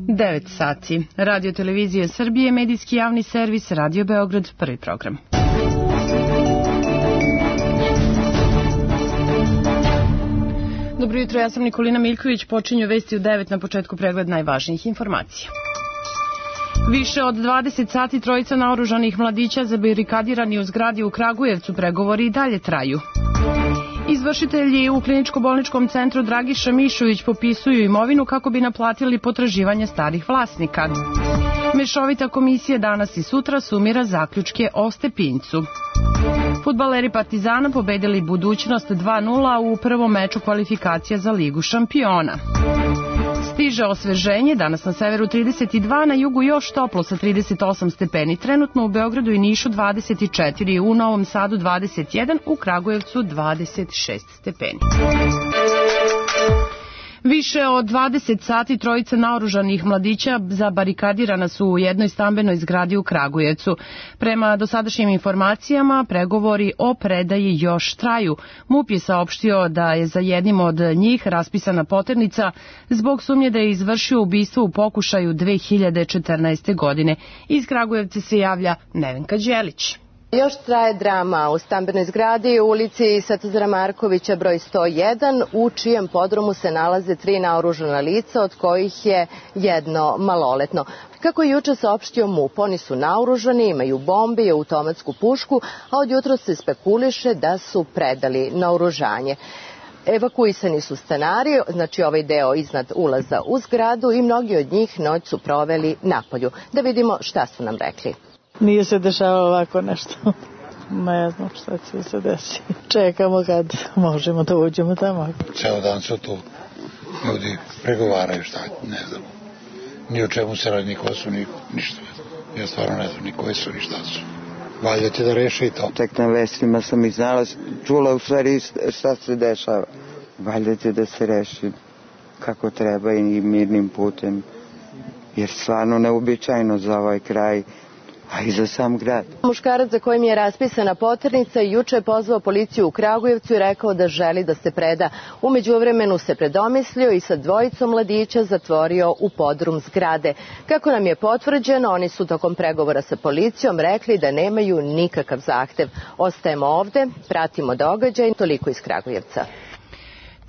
9 sati. Radio Televizije Srbije, medijski javni servis, Radio Beograd, prvi program. Dobro jutro, ja sam Nikolina Miljković, počinju vesti u 9 na početku pregled najvažnijih informacija. Više od 20 sati trojica naoružanih mladića zabarikadirani u zgradi u Kragujevcu, pregovori i dalje traju. Izvršitelji u kliničko-bolničkom centru Dragiša Mišović popisuju imovinu kako bi naplatili potraživanja starih vlasnika. Mešovita komisija danas i sutra sumira zaključke o Stepincu. Fudbaleri Partizana pobedili Budućnost 2:0 u prvom meču kvalifikacija za Ligu šampiona. Stiže osveženje, danas na severu 32, na jugu još toplo sa 38 stepeni. Trenutno u Beogradu i Nišu 24, u Novom Sadu 21, u Kragujevcu 26 stepeni. Više od 20 sati trojica naoružanih mladića zabarikadirana su u jednoj stambenoj zgradi u Kragujevcu. Prema dosadašnjim informacijama, pregovori o predaji još traju. MUP je saopštio da je za jednim od njih raspisana poternica zbog sumnje da je izvršio ubistvo u pokušaju 2014. godine. Iz Kragujevca se javlja Nevenka Đelić. Još traje drama u stambenoj zgradi u ulici Svetozara Markovića broj 101, u čijem podrumu se nalaze 3 naoružana lica, od kojih je jedno maloletno. Kako je juče saopštio MUP, oni su naoružani, imaju bombe i automatsku pušku, a od jutra se spekuliše da su predali naoružanje. Evakuisani su stanari, znači ovaj deo iznad ulaza u zgradu, i mnogi od njih noć su proveli napolju. Da vidimo šta su nam rekli. Nije se dešavalo ovako nešto. Ne znam šta će se desiti. Čekamo kad možemo da uđemo tamo. Ceo dan su tu ljudi pregovaraju, šta, ne znam. Ni o čemu se radi, niko su, ništa. Ja stvarno ne znam ni koji su, ni šta su. Valjda će da reše i to. Tek na vestima sam ih znala, čula u stvari šta se dešava. Valjda će da se reši kako treba i mirnim putem. Jer stvarno neuobičajeno za ovaj kraj, a i za sam grad. Muškarac za kojim je raspisana poternica juče je pozvao policiju u Kragujevcu i rekao da želi da se preda. U međuvremenu se predomislio i sa dvojicom mladića zatvorio u podrum zgrade. Kako nam je potvrđeno, oni su tokom pregovora sa policijom rekli da nemaju nikakav zahtev. Ostajemo ovde, pratimo događaj, toliko iz Kragujevca.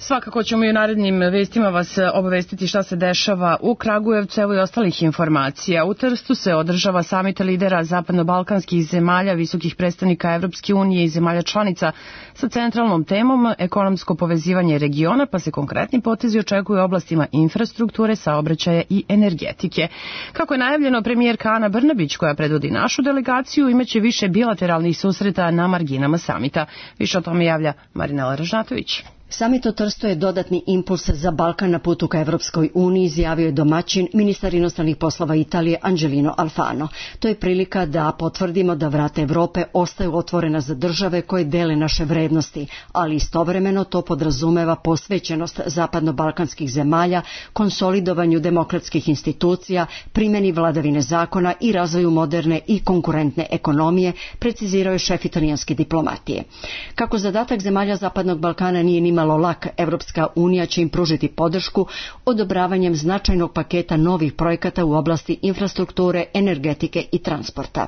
Svakako ćemo i u narednim vestima vas obavestiti šta se dešava u Kragujevcu, evo i ostalih informacija. U Trstu se održava samit lidera zapadno-balkanskih zemalja, visokih predstavnika Evropske unije i zemalja članica sa centralnom temom ekonomsko povezivanje regiona, pa se konkretni potezi očekuju u oblastima infrastrukture, saobraćaja i energetike. Kako je najavljeno, premijerka Ana Brnabić, koja predvodi našu delegaciju, imaće više bilateralnih susreta na marginama samita. Više o tome javlja Marinela Ražnatović. Samit u Trstu je dodatni impuls za Balkan na putu ka Evropskoj uniji, izjavio je domaćin, ministar inostranih poslova Italije Angelino Alfano. To je prilika da potvrdimo da vrata Evrope ostaju otvorena za države koje dele naše vrednosti, ali istovremeno to podrazumeva posvećenost zapadno-balkanskih zemalja, konsolidovanju demokratskih institucija, primjeni vladavine zakona i razvoju moderne i konkurentne ekonomije, precizirao je šef italijanske diplomatije. Kako zadatak zemalja Zapadnog Balkana nije nimalo lak, Evropska unija će im pružiti podršku odobravanjem značajnog paketa novih projekata u oblasti infrastrukture, energetike i transporta.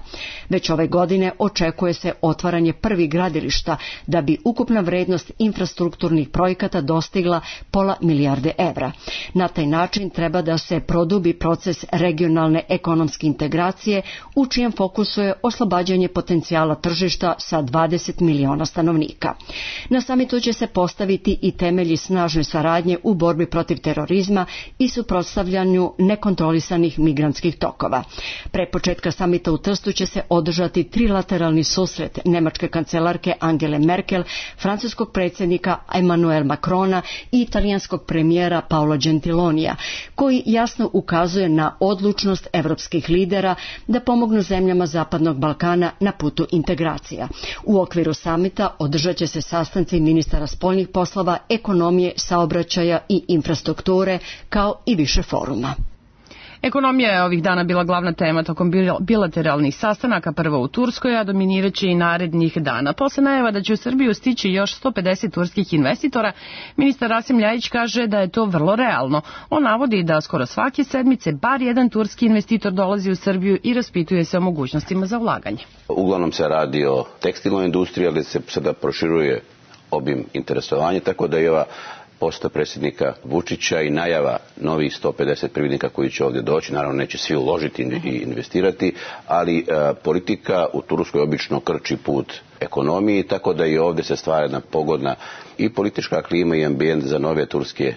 Već ove godine očekuje se otvaranje prvih gradilišta da bi ukupna vrednost infrastrukturnih projekata dostigla £500 milijarde evra. Na taj način treba da se produbi proces regionalne ekonomske integracije u čijem fokusu je oslobađanje potencijala tržišta sa 20 miliona stanovnika. Na samitu će se postaviti i temelji snažne saradnje u borbi protiv terorizma i suprotstavljanju nekontrolisanih migrantskih tokova. Pre početka samita u Trstu će se održati trilateralni susret nemačke kancelarke Angele Merkel, francuskog predsjednika Emmanuel Macrona i italijanskog premijera Paolo Gentilonija, koji jasno ukazuje na odlučnost evropskih lidera da pomognu zemljama Zapadnog Balkana na putu integracija. U okviru samita održat će se sastanci ministara spoljnih poslova, ekonomije, saobraćaja i infrastrukture, kao i više foruma. Ekonomija je ovih dana bila glavna tema tokom bilateralnih sastanaka, prvo u Turskoj, a dominiraće i narednih dana. Posle najava da će u Srbiju stići još 150 turskih investitora, ministar Rasim Ljajić kaže da je to vrlo realno. On navodi da skoro svake sedmice bar jedan turski investitor dolazi u Srbiju i raspituje se o mogućnostima za ulaganje. Uglavnom se radi o tekstilnoj industriji, ali se sada proširuje obim interesovanja, tako da i ova poseta predsjednika Vučića i najava novih 150 privrednika koji će ovdje doći, naravno neće svi uložiti i investirati, ali politika u Turskoj obično krči put ekonomiji, tako da i ovdje se stvara jedna pogodna i politička klima i ambijent za nove turske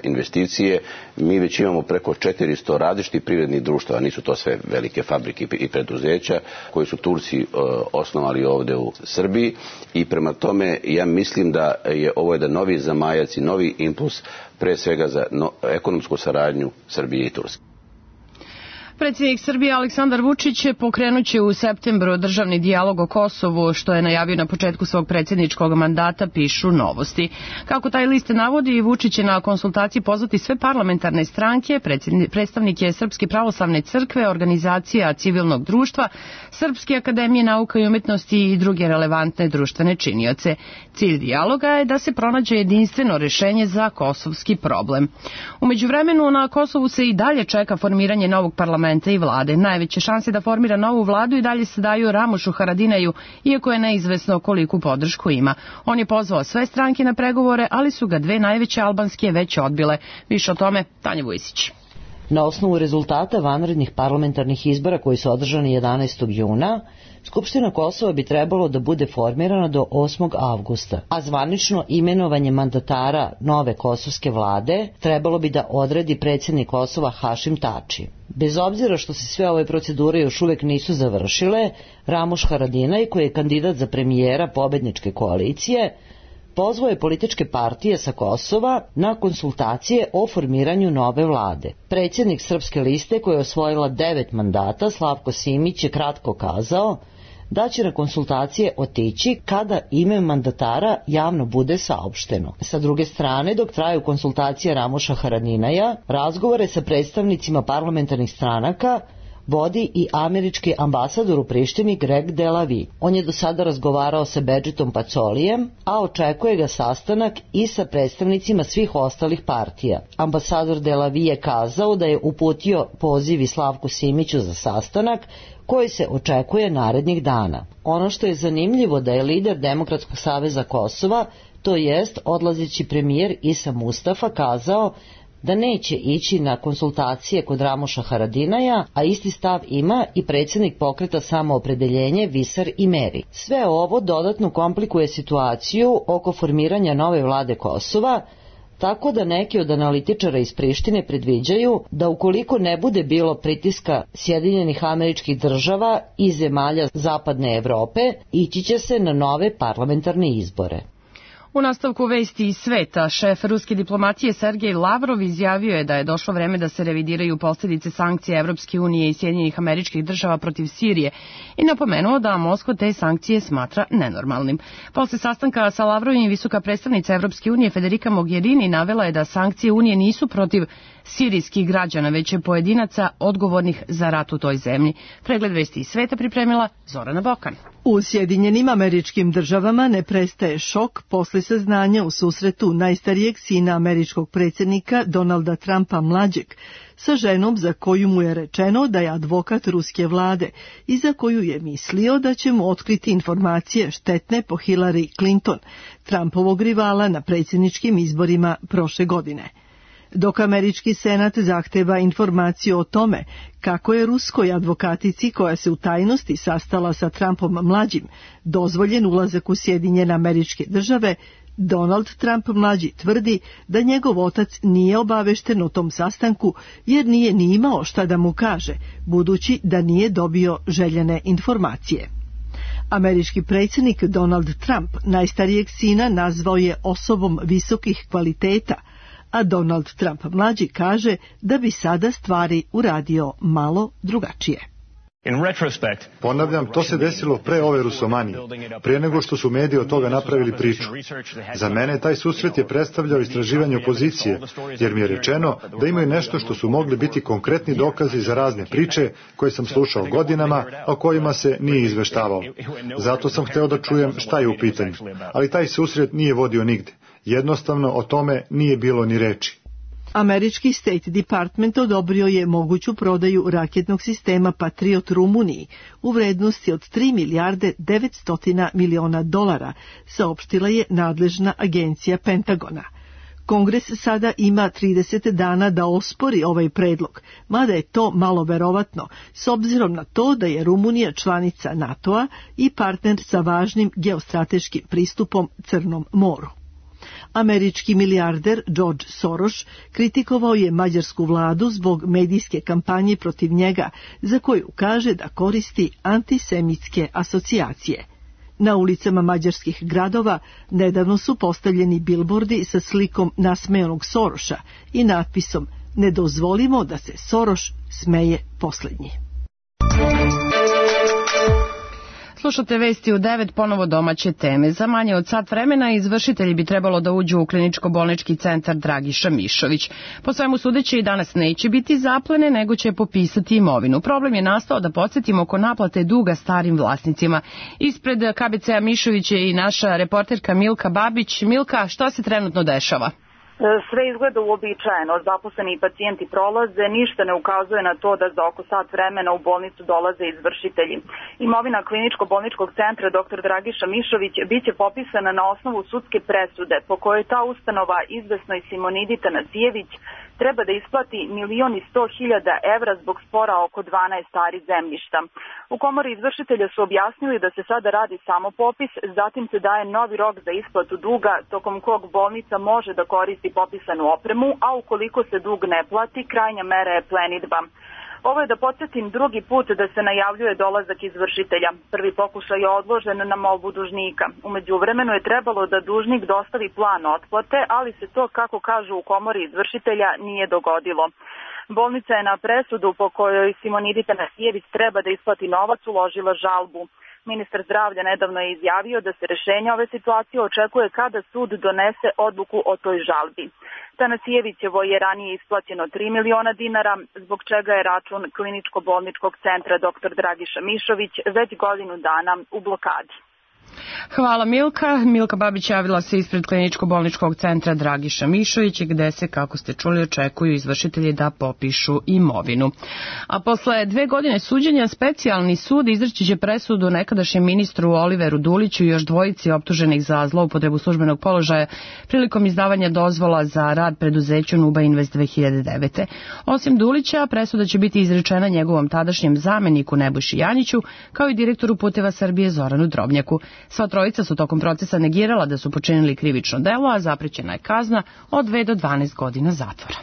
investicije. Mi već imamo preko 400 različitih privrednih društava, nisu to sve velike fabrike i preduzeća koji su Turci osnovali ovdje u Srbiji i prema tome ja mislim da je ovo jedan novi zamajac i novi impuls pre svega za ekonomsku saradnju Srbije i Turske. Predsjednik Srbije Aleksandar Vučić pokrenuće u septembru državni dijalog o Kosovu, što je najavio na početku svog predsjedničkog mandata, pišu Novosti. Kako taj list navodi, Vučić će na konsultaciji pozvati sve parlamentarne stranke, predstavnike Srpske pravoslavne crkve, organizacija civilnog društva, Srpske akademije nauka i umetnosti i druge relevantne društvene činioce. Cilj dijaloga je da se pronađe jedinstveno rešenje za kosovski problem. U međuvremenu na Kosovu se i dalje čeka formiranje novog parlamenta i vlade. Najveće šanse da formira novu vladu i dalje se daju Ramušu Haradinaju, iako je neizvesno koliku podršku ima. On je pozvao sve stranke na pregovore, ali su ga dve najveće albanske već odbile. Više o tome Tanja Vujsić. Na osnovu rezultata vanrednih parlamentarnih izbora koji su održani 11. juna, Skupština Kosova bi trebalo da bude formirana do 8. avgusta, a zvanično imenovanje mandatara nove kosovske vlade trebalo bi da odredi predsjednik Kosova Hašim Tači. Bez obzira što se sve ove procedure još uvek nisu završile, Ramuš Haradinaj, koji je kandidat za premijera pobedničke koalicije, pozvao je političke partije sa Kosova na konsultacije o formiranju nove vlade. Predsjednik Srpske liste, koja je osvojila 9 mandata, Slavko Simić, je kratko kazao da će na konsultacije otići kada ime mandatara javno bude saopšteno. Sa druge strane, dok traju konsultacije Ramuša Haradinaja, razgovore sa predstavnicima parlamentarnih stranaka vodi i američki ambasador u Prištini Greg Delavi. On je do sada razgovarao sa Bedžitom Pacolijem, a očekuje ga sastanak i sa predstavnicima svih ostalih partija. Ambasador Delavi je kazao da je uputio poziv Slavku Simiću za sastanak koji se očekuje narednih dana. Ono što je zanimljivo da je lider Demokratskog saveza Kosova, to jest odlazeći premijer Isa Mustafa, kazao da neće ići na konsultacije kod Ramuša Haradinaja, a isti stav ima i predsjednik pokreta Samoopredeljenje Visar Imeri. Sve ovo dodatno komplikuje situaciju oko formiranja nove vlade Kosova, tako da neki od analitičara iz Prištine predviđaju da ukoliko ne bude bilo pritiska Sjedinjenih Američkih Država i zemalja Zapadne Evrope, ići će se na nove parlamentarne izbore. U nastavku vesti iz sveta, šef ruske diplomatije Sergej Lavrov izjavio je da je došlo vreme da se revidiraju posljedice sankcija Evropske unije i Sjedinjenih Američkih Država protiv Sirije i napomenuo da Moskva te sankcije smatra nenormalnim. Posle sastanka sa Lavrovim, visoka predstavnica Evropske unije Federica Mogherini navela je da sankcije Unije nisu protiv sirijskih građana, već je pojedinaca odgovornih za rat u toj zemlji. Pregled vesti iz sveta pripremila Zorana Bokan. U Sjedinjenim Američkim Državama ne prestaje šok posle saznanja u susretu najstarijeg sina američkog predsjednika Donalda Trumpa mlađeg sa ženom za koju mu je rečeno da je advokat ruske vlade i za koju je mislio da će mu otkriti informacije štetne po Hillary Clinton, Trumpovog rivala na predsjedničkim izborima prošle godine. Dok američki senat zahteva informaciju o tome kako je ruskoj advokatici koja se u tajnosti sastala sa Trumpom mlađim dozvoljen ulazak u Sjedinjene Američke Države, Donald Trump mlađi tvrdi da njegov otac nije obavešten o tom sastanku jer nije ni imao šta da mu kaže, budući da nije dobio željene informacije. Američki predsjednik Donald Trump najstarijeg sina nazvao je osobom visokih kvaliteta, a Donald Trump mlađi kaže da bi sada stvari uradio malo drugačije. Ponavljam, to se desilo pre ove rusomanije, prije nego što su mediji od toga napravili priču. Za mene taj susret je predstavljao istraživanje opozicije, jer mi je rečeno da imaju nešto što su mogli biti konkretni dokazi za razne priče koje sam slušao godinama, a o kojima se nije izveštavao. Zato sam hteo da čujem šta je u pitanju, ali taj susret nije vodio nigde. Jednostavno o tome nije bilo ni reči. Američki State Department odobrio je moguću prodaju raketnog sistema Patriot Rumuniji u vrednosti od 3 milijarde 900 miliona dolara, saopštila je nadležna agencija Pentagona. Kongres sada ima 30 dana da ospori ovaj predlog, mada je to malo verovatno, s obzirom na to da je Rumunija članica NATO-a i partner sa važnim geostrateškim pristupom Crnom moru. Američki milijarder George Soros kritikovao je mađarsku vladu zbog medijske kampanje protiv njega, za koju kaže da koristi antisemitske asocijacije. Na ulicama mađarskih gradova nedavno su postavljeni bilbordi sa slikom nasmejanog Soroša i natpisom "Ne dozvolimo da se Soroš smeje poslednji". Slušate vesti u 9, ponovo domaće teme. Za manje od sat vremena izvršitelji bi trebalo da uđu u kliničko-bolnički centar Dragiša Mišović. Po svemu sudeći i danas neće biti zaplene, nego će popisati imovinu. Problem je nastao, da podsjetimo, oko naplate duga starim vlasnicima. Ispred KBC-a Mišović je i naša reporterka Milka Babić. Milka, šta se trenutno dešava? Sve izgleda uobičajeno, zaposleni i pacijenti prolaze, ništa ne ukazuje na to da za oko sat vremena u bolnicu dolaze izvršitelji. Imovina kliničko-bolničkog centra dr. Dragiša Mišović biće popisana na osnovu sudske presude, po kojoj ta ustanova izvesnoj Simonidi Tanasijević treba da isplati 1.100.000 evra zbog spora oko 12 stari zemljišta. U komori izvršitelja su objasnili da se sada radi samo popis, zatim se daje novi rok za isplatu duga, tokom kog bolnica može da koristi popisanu opremu, a ukoliko se dug ne plati, krajnja mera je plenidba. Ovo je, da podsjetim, drugi put da se najavljuje dolazak izvršitelja. Prvi pokušaj je odložen na molbu dužnika. U međuvremenu je trebalo da dužnik dostavi plan otplate, ali se to, kako kažu u komori izvršitelja, nije dogodilo. Bolnica je na presudu po kojoj Simonidi Tanasijević treba da isplati novac uložila žalbu. Ministar zdravlja nedavno je izjavio da se rešenje ove situacije očekuje kada sud donese odluku o toj žalbi. Tanasijevićevo je ranije isplaćeno 3 miliona dinara, zbog čega je račun kliničko-bolničkog centra dr. Dragiša Mišović već godinu dana u blokadi. Hvala Milka. Milka Babić javila se ispred kliničko-bolničkog centra Dragiša Mišović, gde se, kako ste čuli, očekuju izvršitelji da popišu imovinu. A posle 2 godine suđenja, specijalni sud izreći će presudu nekadašnjem ministru Oliveru Duliću i još dvojici optuženih za zloupotrebu službenog položaja prilikom izdavanja dozvola za rad preduzeću Nuba Invest 2009. Osim Dulića, presuda će biti izrečena njegovom tadašnjem zameniku Nebojši Janjiću, kao i direktoru Puteva Srbije Zoranu Drobnjaku. Sva trojica su tokom procesa negirala da su počinili krivično delo, a zaprećena je kazna od 2 do 12 godina zatvora.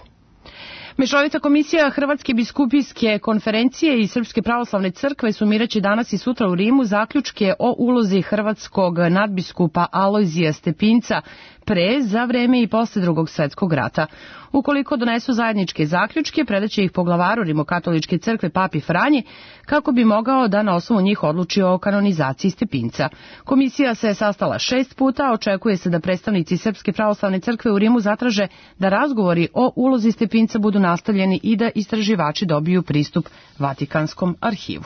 Mešovita komisija Hrvatske biskupijske konferencije i Srpske pravoslavne crkve sumiraće danas i sutra u Rimu zaključke o ulozi hrvatskog nadbiskupa Alojzija Stepinca pre, za vreme i posle Drugog svetskog rata. Ukoliko donesu zajedničke zaključke, predaće ih poglavaru Rimokatoličke crkve Papi Franji, kako bi mogao da na osnovu njih odluči o kanonizaciji Stepinca. Komisija se je sastala 6 puta, očekuje se da predstavnici Srpske pravoslavne crkve u Rimu zatraže da razgovori o ulozi Stepinca budu nastavljeni i da istraživači dobiju pristup Vatikanskom arhivu.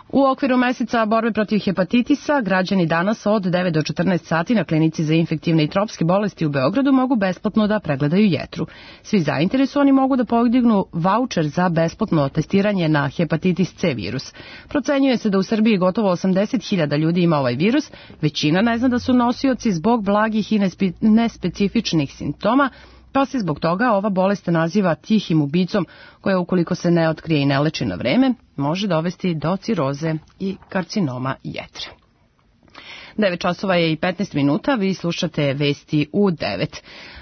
U okviru meseca borbe protiv hepatitisa, građani danas od 9 do 14 sati na klinici za infektivne i tropske bolesti u Beogradu mogu besplatno da pregledaju jetru. Svi zainteresovani mogu da podignu vaučer za besplatno testiranje na hepatitis C virus. Procenjuje se da u Srbiji gotovo 80.000 ljudi ima ovaj virus, većina ne zna da su nosioci zbog blagih i nespecifičnih simptoma, pa se zbog toga ova bolest naziva tihim ubicom, koja ukoliko se ne otkrije i ne leči na vreme, može dovesti do ciroze i karcinoma jetre. 9 časova je i 15 minuta, vi slušate vesti u 9.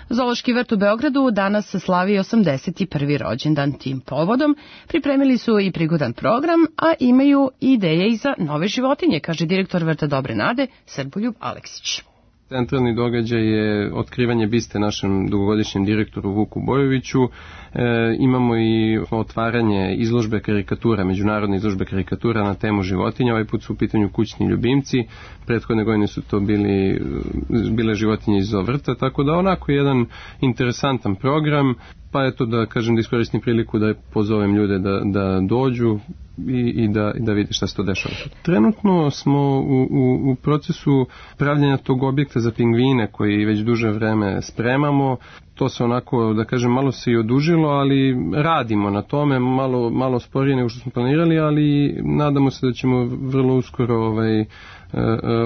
Zoološki vrt u Beogradu danas slavi 81. rođendan. Tim povodom pripremili su i prigodan program, a imaju ideje i za nove životinje, kaže direktor vrta Dobre Nade, Srboljub Aleksić. Centralni događaj je otkrivanje biste našem dugogodišnjem direktoru Vuku Bojoviću. Imamo i otvaranje izložbe karikatura, međunarodne izložbe karikatura na temu životinja. Ovaj put su u pitanju kućni ljubimci. Prethodne godine su to bile životinje iz vrta, tako da onako jedan interesantan program. Pa eto da kažem, da iskoristim priliku da pozovem ljude da dođu i da vidi šta se to dešava. Trenutno smo u procesu pravljenja tog objekta za pingvine koji već duže vreme spremamo. To se onako, da kažem, malo se i odužilo, ali radimo na tome, malo sporije nego što smo planirali, ali nadamo se da ćemo vrlo uskoro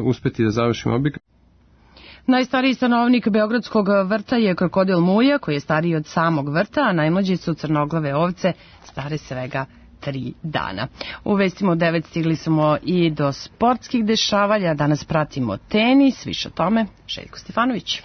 uspeti da završimo objekat. Najstariji stanovnik Beogradskog vrta je krokodil Muja, koji je stariji od samog vrta, a najmlađi su crnoglave ovce, stare svega 3 dana. U vestima od 9 stigli smo i do sportskih dešavanja. Danas pratimo tenis, više o tome Željko Stefanović.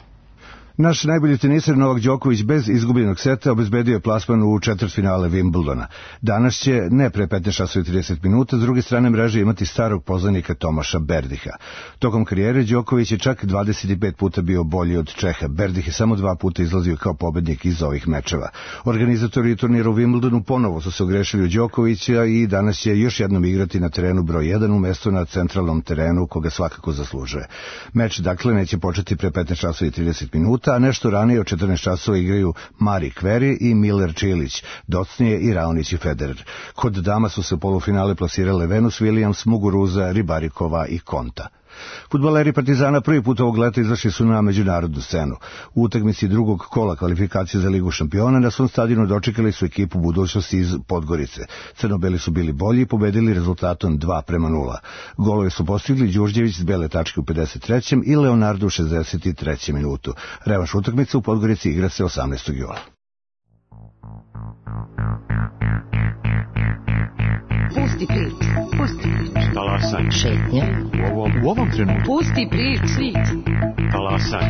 Naš najbolji teniser Novak Đoković bez izgubljenog seta obezbedio je plasman u četvrtfinale Wimbledona. Danas će, ne pre 15:30, s druge strane mreže imati starog poznanika Tomaša Berdiha. Tokom karijere Đoković je čak 25 puta bio bolji od Čeha. Berdih je samo 2 puta izlazio kao pobednik iz ovih mečeva. Organizatori turnira u Wimbledonu ponovo su se ogrešili u Đokovića i danas će još jednom igrati na terenu broj 1 umesto na centralnom terenu koga svakako zaslužuje. Meč dakle neće početi pre 15:30, a nešto ranije od 14 časova igraju Mari Kveri i Miller Čilić, docnije i Raonić i Federer. Kod dama su se u polufinale plasirale Venus Williams, Muguruza, Ribarikova i Konta. Fudbaleri Partizana prvi put ovog leta izašli su na međunarodnu scenu. U utakmici drugog kola kvalifikacije za Ligu šampiona na svom stadionu dočekali su ekipu budućnosti iz Podgorice. Crnobeli su bili bolji i pobedili rezultatom 2:0. Golove su postigli Đurđević s bele tačke u 53. i Leonardo u 63. minutu. Revanš utakmice u Podgorici igra se 18. jula. Pusti prič. Talasaj. Šetnja. U ovom trenutku. Pusti prič. Talasaj.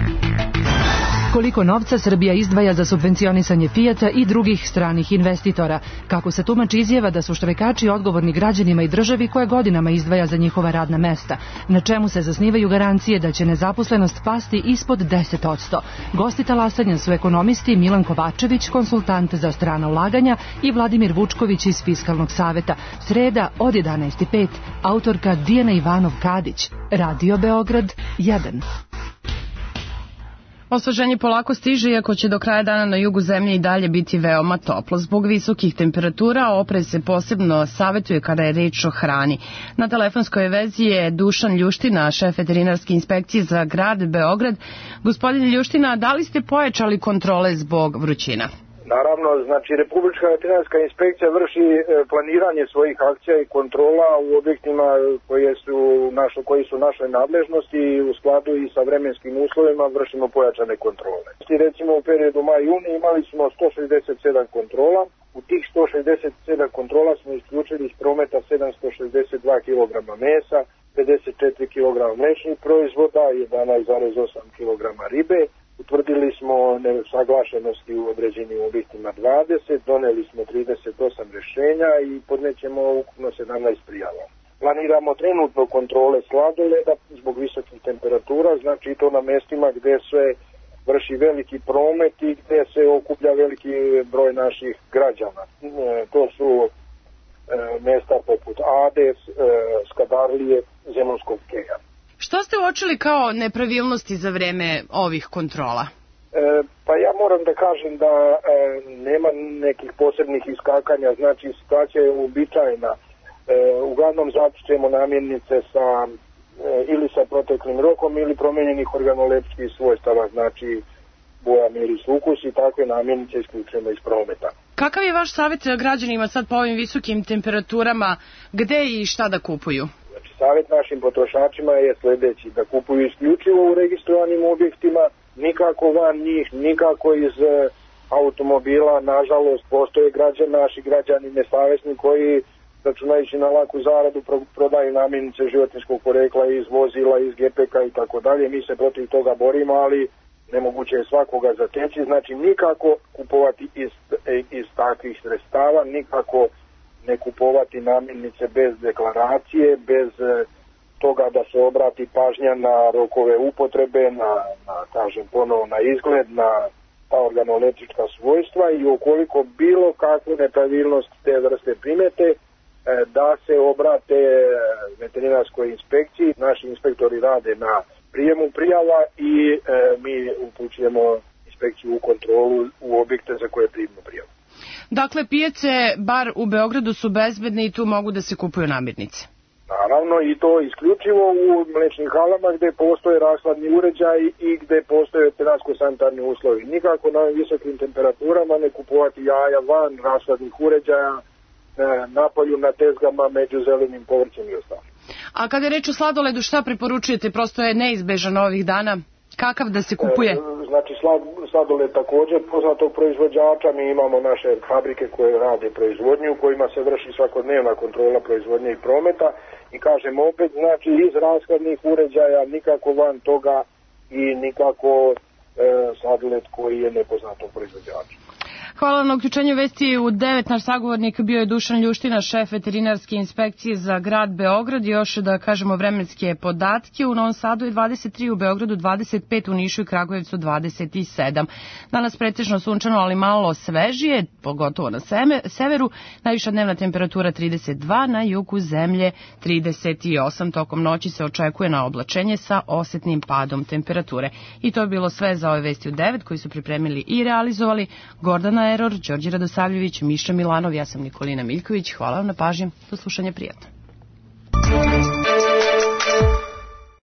Koliko novca Srbija izdvaja za subvencionisanje Fijata i drugih stranih investitora? Kako se tumači izjava da su štrajkači odgovorni građanima i državi koja godinama izdvaja za njihova radna mesta? Na čemu se zasnivaju garancije da će nezaposlenost pasti ispod 10%? Gosti talasanja su ekonomisti Milan Kovačević, konsultant za strana ulaganja, i Vladimir Vučković iz Fiskalnog saveta. Sreda od 11:05. Autorka Dijana Ivanov-Kadić. Radio Beograd 1. Osveženje polako stiže, iako će do kraja dana na jugu zemlje i dalje biti veoma toplo. Zbog visokih temperatura oprez se posebno savjetuje kada je reč o hrani. Na telefonskoj vezi je Dušan Ljuština, šef veterinarske inspekcije za grad Beograd. Gospodin Ljuština, da li ste pojačali kontrole zbog vrućina? Naravno, znači Republička veterinarska inspekcija vrši planiranje svojih akcija i kontrola u objektima koji su našoj nadležnosti i u skladu i sa vremenskim uslovima vršimo pojačane kontrole. Recimo u periodu maj-juni imali smo 167 kontrola. U tih 167 kontrola smo isključili iz prometa 762 kg mesa, 54 kg mlečnih proizvoda, 11,8 kg ribe. Utvrdili smo nesaglašenosti u određenim objektima 20, doneli smo 38 rješenja i podnećemo ukupno 17 prijava. Planiramo trenutno kontrole sladoleda zbog visokih temperatura, znači to na mestima gdje se vrši veliki promet i gdje se okuplja veliki broj naših građana. To su mesta poput Ades, Skadarlije, Zemunskog keja. Što ste uočili kao nepravilnosti za vreme ovih kontrola? Pa ja moram da kažem da nema nekih posebnih iskakanja, znači situacija je uobičajena. Uglavnom zatičemo namirnice ili sa proteklim rokom ili promenjenih organolepskih svojstava, znači boja, miris, ukus i takve namirnice isključujemo iz prometa. Kakav je vaš savjet građanima sad po ovim visokim temperaturama, gde i šta da kupuju? Savjet našim potrošačima je sljedeći, da kupuju isključivo u registrovanim objektima, nikako van njih, nikako iz automobila. Nažalost, postoje naši građani nesavesni koji, računajući na laku zaradu, prodaju namirnice životinjskog porekla iz vozila, iz GPK i tako dalje. Mi se protiv toga borimo, ali nemoguće je svakoga zateći. Znači, nikako kupovati iz takvih sredstava, nikako ne kupovati namirnice bez deklaracije, bez toga da se obrati pažnja na rokove upotrebe, kažem ponovo, na izgled, na ta organoleptička svojstva i ukoliko bilo kakvu nepravilnost te vrste primete, da se obrate veterinarskoj inspekciji. Naši inspektori rade na prijemu prijava i mi upućujemo inspekciju u kontrolu u objekte za koje primimo prijavu. Dakle, pijace, bar u Beogradu, su bezbedne i tu mogu da se kupuju namirnice? Naravno, i to isključivo u mlečnim halama gde postoje rashladni uređaj i gde postoje veterinarsko-sanitarni uslovi. Nikako na visokim temperaturama ne kupovati jaja van rashladnih uređaja, napolju na tezgama među zelenim povrćem i ostalim. A kada je reč o sladoledu, šta preporučujete? Prosto je neizbežan ovih dana. Kakav da se kupuje? Znači, sladoled također poznatog proizvođača. Mi imamo naše fabrike koje rade proizvodnju, u kojima se vrši svakodnevna kontrola proizvodnje i prometa. I kažem opet, znači, iz rashladnih uređaja, nikako van toga i nikako sladoled koji je nepoznatog proizvođača. Hvala na uključenju vesti u 9. Naš sagovornik bio je Dušan Ljuština, šef veterinarske inspekcije za grad Beograd. Još da kažemo vremenske podatke. U Novom Sadu je 23, u Beogradu 25, u Nišu i Kragujevcu 27. Danas pretežno sunčano, ali malo svežije, pogotovo na severu. Najviša dnevna temperatura 32, na jugu zemlje 38. Tokom noći se očekuje na oblačenje sa osetnim padom temperature. I to je bilo sve za ove vesti u 9 koji su pripremili i realizovali Gordana Eror, Đorđe Radosavljević, Miša Milanov, ja sam Nikolina Miljković. Hvala vam na pažnji. Do slušanja, prijatno.